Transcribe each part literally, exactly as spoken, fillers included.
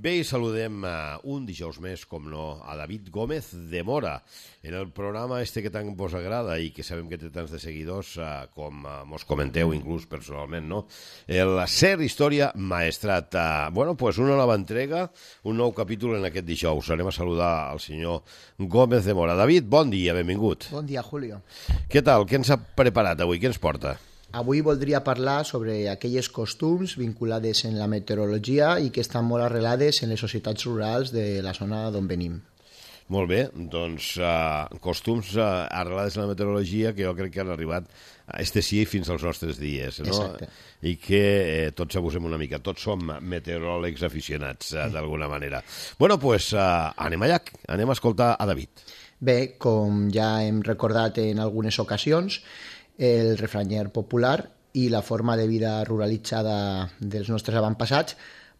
Bé, i saludem uh, un dijous més, com no, a David Gómez de Mora, en el programa este que tant vos agrada i que sabem que té tants de seguidors, uh, com uh, mos comenteu inclús personalment, no? El Ser Història Maestrat. Uh, bueno, pues una nova entrega, un nou capítol en aquest dijous. Anem a saludar al senyor Gómez de Mora. David, bon dia, benvingut. Bon dia, Julio. Què tal? Què ens ha preparat avui? Què ens porta? Avui voldria parlar sobre aquelles costums vinculades en la meteorologia i que estan molt arrelades en les societats rurals de la zona d'on venim. Molt bé, doncs uh, costums uh, arrelades en la meteorologia que jo crec que han arribat a este sí fins als nostres dies, no? Exacte. I que eh, tots abusem una mica, tots som meteoròlegs aficionats, uh, d'alguna manera. Bueno, doncs pues, uh, anem allà, anem a escoltar a David. Bé, com ja hem recordat en algunes ocasions, el refranyer popular i la forma de vida ruralitzada dels nostres avantpassats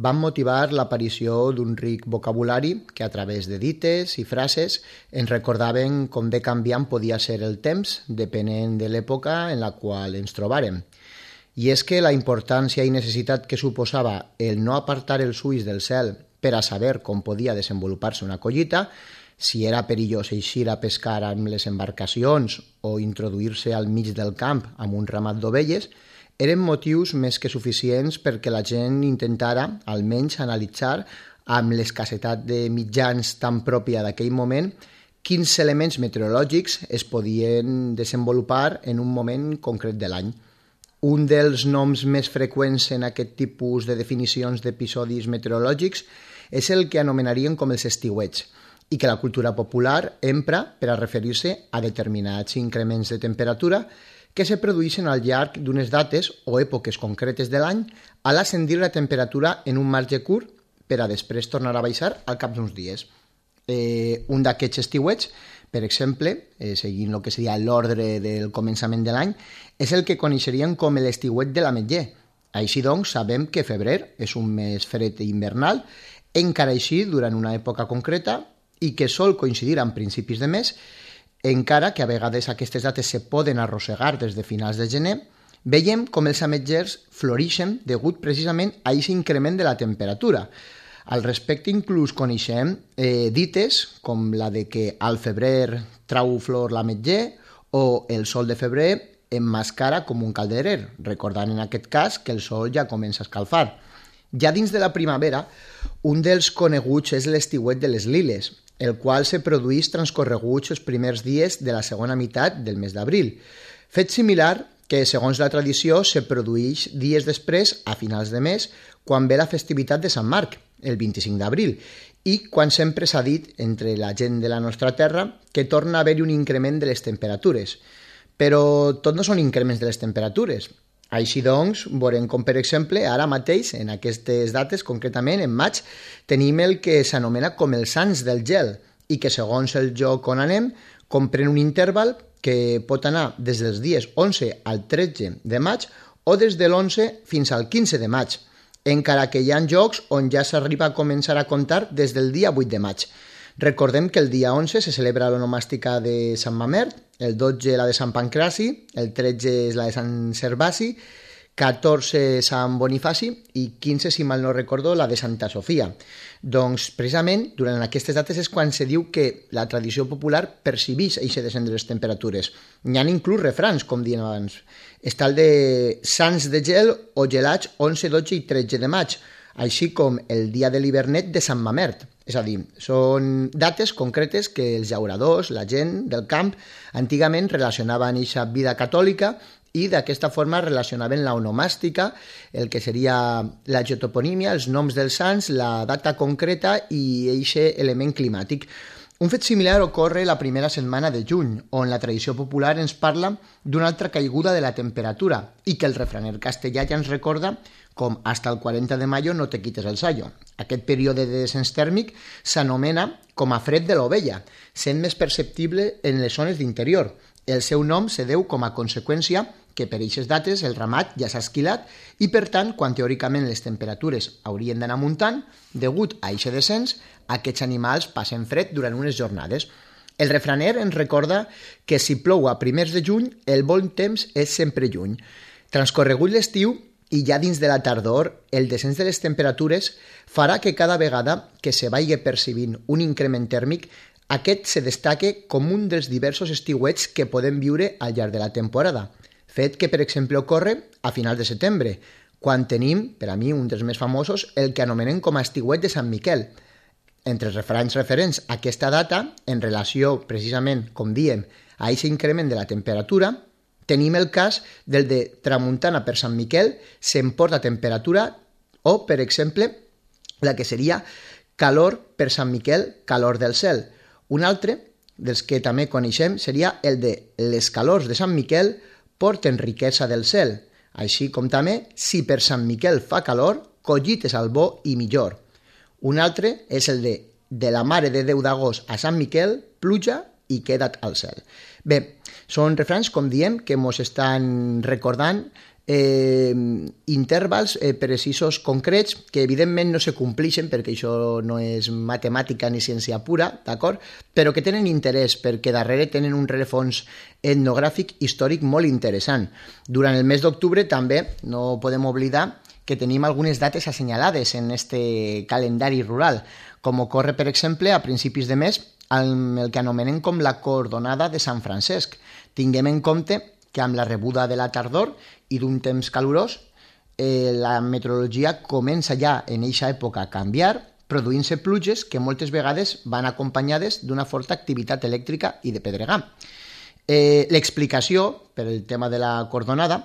van motivar l'aparició d'un ric vocabulari que a través de dites i frases ens recordaven com de canviant podia ser el temps depenent de l'època en la qual ens trobàrem. I és que la importància i necessitat que suposava el no apartar els ulls del cel per a saber com podia desenvolupar-se una collita, si era perillós eixir a pescar amb les embarcacions o introduir-se al mig del camp amb un ramat d'ovelles, eren motius més que suficients perquè la gent intentara, almenys, analitzar amb l'escassetat de mitjans tan pròpia d'aquell moment quins elements meteorològics es podien desenvolupar en un moment concret de l'any. Un dels noms més freqüents en aquest tipus de definicions d'episodis meteorològics és el que anomenaríem com els estiuets, i que la cultura popular empra per a referir-se a determinats increments de temperatura que se produeixen al llarg d'unes dates o èpoques concretes de l'any a l'ascendir la temperatura en un marge curt per a després tornar a baixar al cap d'uns dies. Eh, un d'aquests estiuets, per exemple, eh, seguint el que seria l'ordre del començament de l'any, és el que coneixeríem com l'estiuet de l'ametller. Així doncs, sabem que febrer és un mes fred i invernal, encara així durant una època concreta, i que sol coincidir amb principis de mes, encara que a vegades aquestes dates se poden arrossegar des de finals de gener, veiem com els ametllers floreixen degut precisament a aquest increment de la temperatura. Al respecte inclús coneixem eh, dites com la de que al febrer trau flor l'ametller o el sol de febrer emmascara com un calderer, recordant en aquest cas que el sol ja comença a escalfar. Ja dins de la primavera, un dels coneguts és l'estiuet de les liles, el qual se produeix transcorreguts els primers dies de la segona meitat del mes d'abril. Fet similar que, segons la tradició, se produeix dies després, a finals de mes, quan ve la festivitat de Sant Marc, el vint-i-cinc d'abril, i quan sempre s'ha dit entre la gent de la nostra terra que torna a haver-hi un increment de les temperatures. Però tot no són increments de les temperatures. Així doncs, veurem com, per exemple, ara mateix, en aquestes dates, concretament en maig, tenim el que s'anomena com els sants del gel i que, segons el lloc on anem, comprèn un interval que pot anar des dels dies onze al tretze de maig o des de l'onze fins al quinze de maig, encara que hi ha llocs on ja s'arriba a començar a comptar des del dia vuit de maig. Recordem que el dia onze se celebra l'onomàstica de Sant Mamert, el dotze la de Sant Pancraci, el tretze és la de Sant Servasi, catorze Sant Bonifaci i quinze, si mal no recordo, la de Santa Sofia. Doncs precisament durant aquestes dates és quan se diu que la tradició popular percibeix aquest descens de les temperatures. N'hi ha inclús refrans, com diem abans. Està el de sants de gel o gelats onze, dotze i tretze de maig, així com el dia de l'hivernet de Sant Mamert. És a dir, són dates concretes que els llauradors, la gent del camp, antigament relacionaven aquesta vida catòlica i d'aquesta forma relacionaven la onomàstica, el que seria la geotoponímia, els noms dels sants, la data concreta i aquest element climàtic. Un fet similar ocorre la primera setmana de juny, on la tradició popular ens parla d'una altra caiguda de la temperatura i que el refraner castellà ja ens recorda com «hasta el quaranta de mayo no te quites el sayo». Aquest període de descens tèrmic s'anomena com a fred de l'ovella, sent més perceptible en les zones d'interior. El seu nom se deu com a conseqüència que per aquestes dates el ramat ja s'ha esquilat i, per tant, quan teòricament les temperatures haurien d'anar muntant, degut a aquest descens, aquests animals passen fred durant unes jornades. El refraner ens recorda que si plou a primers de juny, el bon temps és sempre lluny. Transcorregut l'estiu, i ja dins de la tardor, el descens de les temperatures farà que cada vegada que se vagi percebint un increment tèrmic, aquest se destaque com un dels diversos estiuets que podem viure al llarg de la temporada, fet que, per exemple, ocorre a finals de setembre, quan tenim, per a mi, un dels més famosos, el que anomenem com a estiuet de Sant Miquel. Entre els refranys referents a aquesta data, en relació, precisament, com diem, a aquest increment de la temperatura, tenim el cas del de tramuntana per Sant Miquel s'emporta temperatura o, per exemple, la que seria calor per Sant Miquel, calor del cel. Un altre, dels que també coneixem, seria el de les calors de Sant Miquel porten riquesa del cel, així com també, si per Sant Miquel fa calor, collites al bo i millor. Un altre és el de de la Mare de Déu d'agost a Sant Miquel, pluja i queda't al cel. Bé, són refranys, com diem, que ens estan recordant eh, intervals eh, precisos concrets que evidentment no se complixen perquè això no és matemàtica ni ciència pura, d'acord? Però que tenen interès perquè darrere tenen un rerefons etnogràfic històric molt interessant. Durant el mes d'octubre també no podem oblidar que tenim algunes dates assenyalades en este calendari rural, com ocorre, per exemple, a principis de mes amb el que anomenem com la cordonada de Sant Francesc. Tinguem en compte que amb la rebuda de la tardor i d'un temps calorós, eh, la meteorologia comença ja en eixa època a canviar, produint-se pluges que moltes vegades van acompanyades d'una forta activitat elèctrica i de pedregar. Eh, L'explicació, per el tema de la cordonada,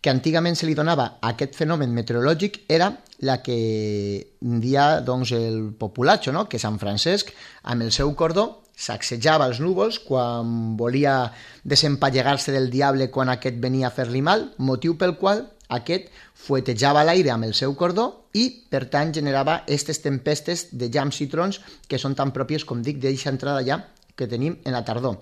que antigament se li donava a aquest fenomen meteorològic era la que dia doncs, el populatxo, no? Que Sant Francesc, amb el seu cordó, sacsejava els núvols quan volia desempallegar-se del diable quan aquest venia a fer-li mal, motiu pel qual aquest fuetejava l'aire amb el seu cordó i, per tant, generava aquestes tempestes de llamps i trons que són tan pròpies, com dic, d'eixa entrada ja que tenim en la tardor.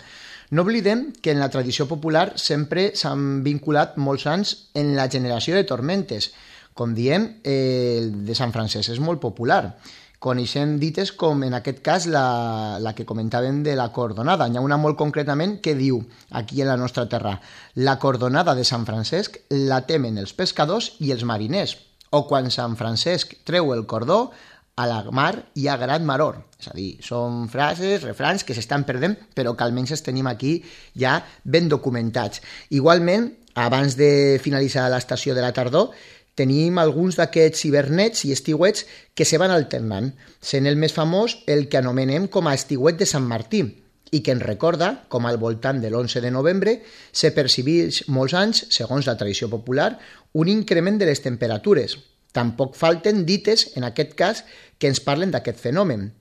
No oblidem que en la tradició popular sempre s'han vinculat molts anys en la generació de tormentes. Com diem, eh, el de Sant Francesc és molt popular. Coneixem dites com, en aquest cas, la, la que comentàvem de la cordonada. N'hi ha una molt concretament que diu, aquí en la nostra terra, la cordonada de Sant Francesc la temen els pescadors i els mariners, o quan Sant Francesc treu el cordó, a la mar hi ha gran maror. És a dir, són frases, refrans que s'estan perdent, però que almenys els tenim aquí ja ben documentats. Igualment, abans de finalitzar l'estació de la tardor, tenim alguns d'aquests hivernets i estiuets que se van alternant, sent el més famós el que anomenem com a estiuet de Sant Martí, i que ens recorda com al voltant de l'onze de novembre se percebeix molts anys, segons la tradició popular, un increment de les temperatures. Tampoc falten dites, en aquest cas, que ens parlen d'aquest fenomen,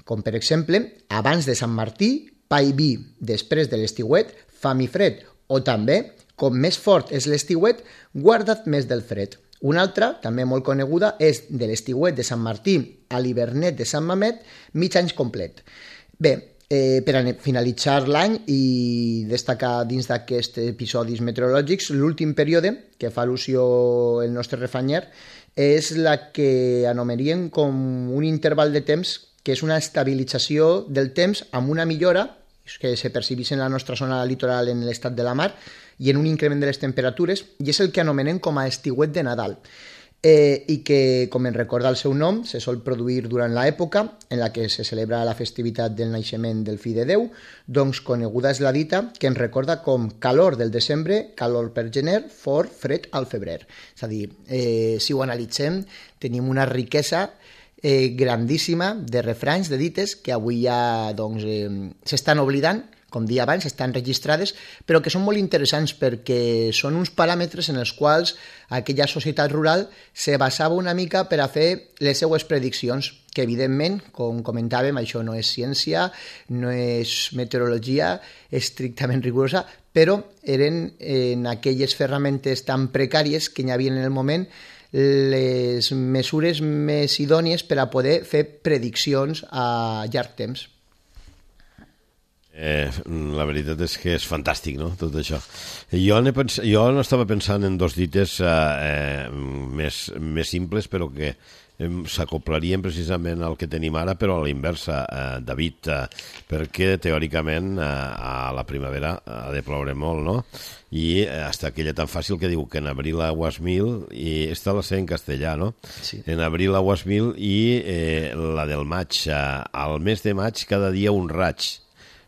com per exemple, abans de Sant Martí, pa i vi, després de l'estiuet, fam i fred, o també, com més fort és l'estiuet, guarda't més del fred. Una altra, també molt coneguda, és de l'estiuet de Sant Martí a l'hivernet de Sant Mamet, mig any complet. Bé, eh, per a finalitzar l'any i destacar dins d'aquests episodis meteorològics, l'últim període que fa al·lusió el nostre refranyer és la que anomenaríem com un interval de temps que és una estabilització del temps amb una millora que se percebeix en la nostra zona litoral en l'estat de la mar i en un increment de les temperatures, i és el que anomenem com a estiuet de Nadal, eh, i que, com en recorda el seu nom, se sol produir durant l'època en la que se celebra la festivitat del naixement del fill de Déu, doncs coneguda és la dita que ens recorda com calor del desembre, calor per gener, fort, fred al febrer. És a dir, eh, si ho analitzem, tenim una riquesa eh, grandíssima de refranys, de dites, que avui ja doncs, eh, s'estan oblidant, com dia abans, estan registrades, però que són molt interessants perquè són uns paràmetres en els quals aquella societat rural se basava una mica per a fer les seues prediccions, que evidentment, com comentàvem, això no és ciència, no és meteorologia estrictament rigorosa, però eren en aquelles ferramentes tan precàries que hi havia en el moment les mesures més idònies per a poder fer prediccions a llarg temps. Eh, la veritat és que és fantàstic, no?, tot això. Jo, pens... jo no estava pensant en dos dites eh, més, més simples, però que s'acoplarien precisament al que tenim ara, però a la inversa, eh, David, eh, perquè teòricament eh, a la primavera ha de ploure molt, no? I eh, hasta aquella tan fàcil que diu que en abril aguas mil, i esta la sé en castellà, no? Sí. En abril aguas mil i eh, la del maig. Eh, al mes de maig cada dia un raig.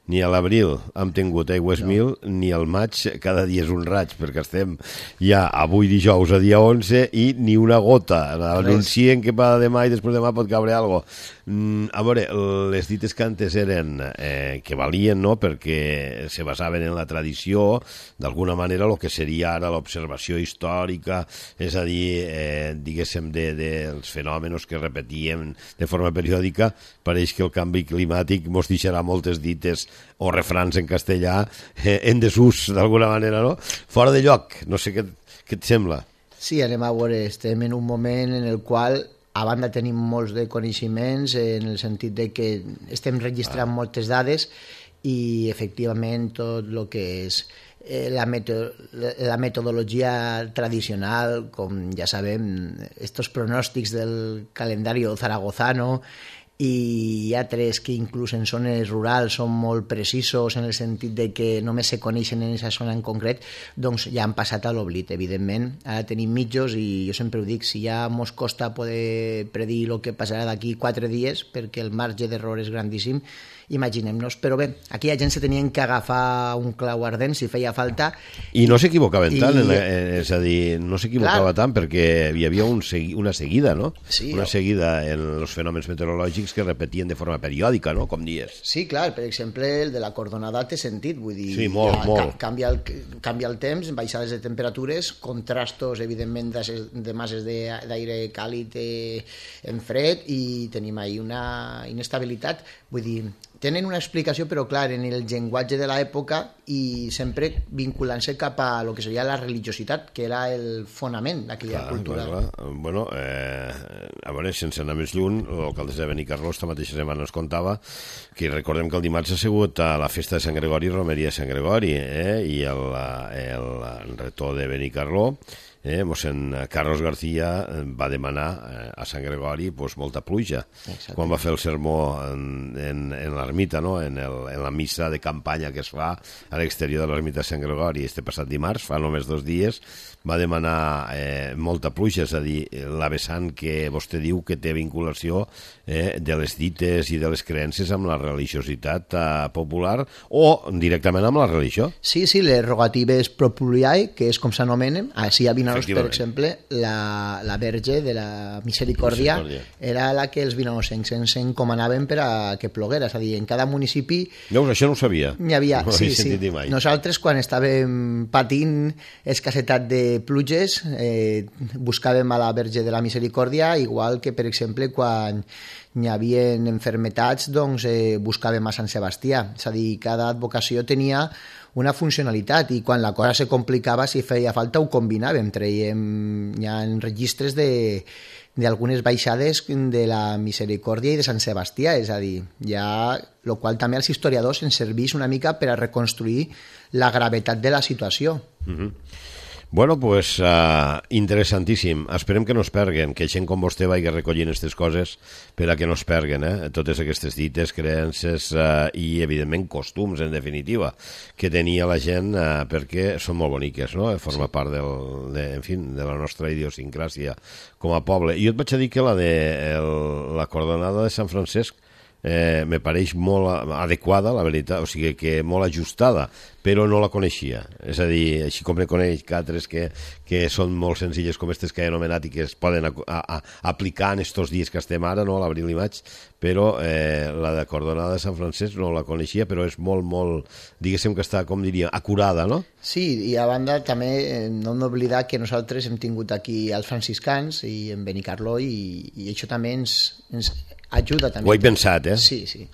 Ni a l'abril hem tingut aigües no. mil, ni al maig cada dia és un raig, perquè estem ja avui dijous a dia onze i ni una gota. Anuncien que per demà i després demà pot caure alguna cosa. Mm, a veure, les dites que antes eren eh, que valien, no?, perquè se basaven en la tradició, d'alguna manera el que seria ara l'observació històrica, és a dir, eh, diguéssim, dels de, de fenòmenos que repetíem de forma periòdica, pareix que el canvi climàtic mos deixarà moltes dites o refrans en castellà eh, en desús, d'alguna manera, no? Fora de lloc, no sé què, què et sembla. Sí, anem a veure, estem en un moment en el qual a banda tenim molts de coneixements en el sentit de que estem registrant ah. moltes dades i efectivament tot el que és eh, la, meto la metodologia tradicional, com ja sabem, estos pronòstics del calendari zaragozano i altres que inclús en zones rurals són molt precisos en el sentit de que només se coneixen en aquesta zona en concret, doncs ja han passat a l'oblit, evidentment. Ara tenim mitjos i jo sempre ho dic, si ja mos costa poder predir el que passarà d'aquí quatre dies perquè el marge d'error és grandíssim, imaginem-nos. Però bé, aquí la gent se tenien que agafar un clau ardent si feia falta. I no s'equivocaven I... tant, en, és a dir, no s'equivocava tant perquè hi havia un segui, una seguida, no? Sí, una o... seguida en els fenòmens meteorològics que repetien de forma periòdica, no?, com dies. Sí, clar, per exemple, el de la cordonada té sentit, vull dir, sí, molt, ja, molt. Canvia, el, canvia el temps, baixades de temperatures, contrastos, evidentment, de, de masses d'aire càlid en fred, i tenim ahí una inestabilitat, vull dir, tenen una explicació, però clar, en el llenguatge de l'època i sempre vinculant-se cap a lo que seria la religiositat, que era el fonament d'aquella clar, cultura. Clar, clar. Bueno, eh, a veure, sense anar més lluny, l'alcalde de Benicarló esta mateixa setmana ens contava que recordem que el dimarts ha sigut a la festa de Sant Gregori, Romeria de Sant Gregori, eh, i el, el, el rector de Benicarló, Eh, mossèn Carlos García va demanar eh, a Sant Gregori pues, molta pluja. Exacte. Quan va fer el sermó en, en, en l'ermita, no? en, el, en la missa de campanya que es fa a l'exterior de l'ermita de Sant Gregori este passat dimarts, fa només dos dies, va demanar eh, molta pluja, és a dir, la vessant que vostè diu que té vinculació eh, de les dites i de les creences amb la religiositat eh, popular o directament amb la religió. Sí, sí, les rogatives populiae, que és com s'anomenen, així a Vinaròs, per exemple, la, la Verge de la Misericòrdia, Misericòrdia era la que els vinaròsencs ens encomanaven per a que ploguera, és a dir, en cada municipi... Veus, això no ho sabia. N'hi havia, no sí, sí. Mai. Nosaltres, quan estàvem patint escassetat de pluges, eh, buscàvem a la Verge de la Misericòrdia, igual que, per exemple, quan hi havia enfermetats, doncs eh, buscàvem a Sant Sebastià. És a dir, cada advocació tenia una funcionalitat i quan la cosa se complicava, si feia falta, ho combinàvem. Traiem, hi ha registres de d'algunes baixades de la Misericòrdia i de Sant Sebastià, és a dir, ja, el qual també als historiadors ens serveix una mica per a reconstruir la gravetat de la situació. Mhm. Bueno, pues uh, interessantíssim. Esperem que no es perguen, que gent com vostè vagi recollint aquestes coses per a que no es perguen, eh? Totes aquestes dites, creences uh, i, evidentment, costums, en definitiva, que tenia la gent uh, perquè són molt boniques, no? Forma sí. part del, de, en fi, de la nostra idiosincràsia com a poble. I jo et vaig a dir que la de el, la Cordonada de Sant Francesc eh, me pareix molt adequada, la veritat, o sigui que molt ajustada, però no la coneixia. És a dir, així com ne coneix que altres que, que són molt senzilles com aquestes que he anomenat i que es poden a, a, a aplicar en estos dies que estem ara, no, l'abril i maig, però eh, la de Cordonada de Sant Francesc no la coneixia, però és molt, molt, diguéssim que està, com diria, acurada, no? Sí, i a banda també eh, no hem d'oblidar que nosaltres hem tingut aquí els franciscans i en Benicarló i, i això també ens, ens ajuda també. Ho he pensat, eh? Sí, sí.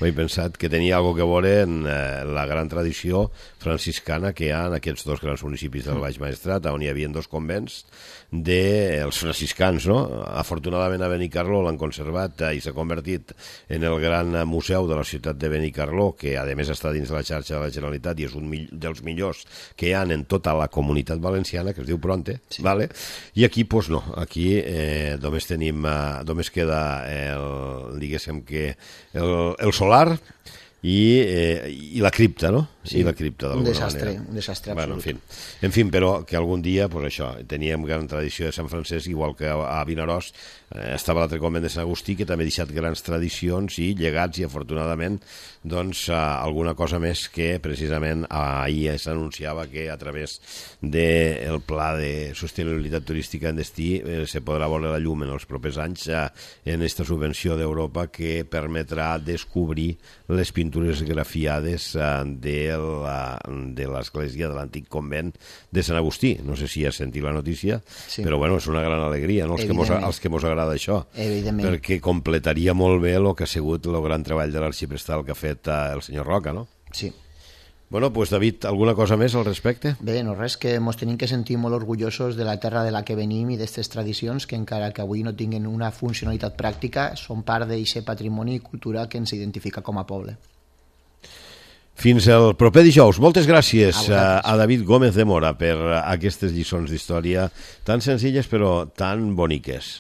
Ho he pensat que tenia alguna que veure en eh, la gran tradició franciscana que hi ha en aquests dos grans municipis del Baix Maestrat, on hi havia dos convents dels franciscans, no? Afortunadament a Benicarló l'han conservat i s'ha convertit en el gran museu de la ciutat de Benicarló, que a més està dins la xarxa de la Generalitat i és un dels millors que hi ha en tota la comunitat valenciana, que es diu Pronte, sí. Vale? I aquí, doncs no, aquí eh, només tenim, eh, només queda el, diguéssim que el, el solar i, eh, i la cripta, no? Sí, I la cripta, un desastre, manera. un desastre bueno, absolut. En fi, en fi, però que algun dia, pues això, teníem gran tradició de Sant Francesc, igual que a Vinaròs eh, estava l'altre convent de Sant Agustí, que també ha deixat grans tradicions i llegats, i afortunadament, doncs, eh, alguna cosa més que precisament ahir s'anunciava que a través del pla de sostenibilitat turística en destí eh, se podrà veure la llum en els propers anys eh, en aquesta subvenció d'Europa que permetrà descobrir les pintures grafiades eh, de la, de l'església de l'antic convent de Sant Agustí. No sé si has sentit la notícia, sí. Però bueno, és una gran alegria, no? Els que mos, els que mos agrada això, perquè completaria molt bé el que ha sigut el gran treball de l'arxiprestal que ha fet eh, el senyor Roca, no? Sí. Bueno, pues David, alguna cosa més al respecte? Bé, no res, que ens tenim que sentir molt orgullosos de la terra de la que venim i d'aquestes tradicions que encara que avui no tinguin una funcionalitat pràctica, són part d'aquest patrimoni i cultura que ens identifica com a poble. Fins el proper dijous. Moltes gràcies a, a David Gómez de Mora per aquestes lliçons d'història tan senzilles però tan boniques.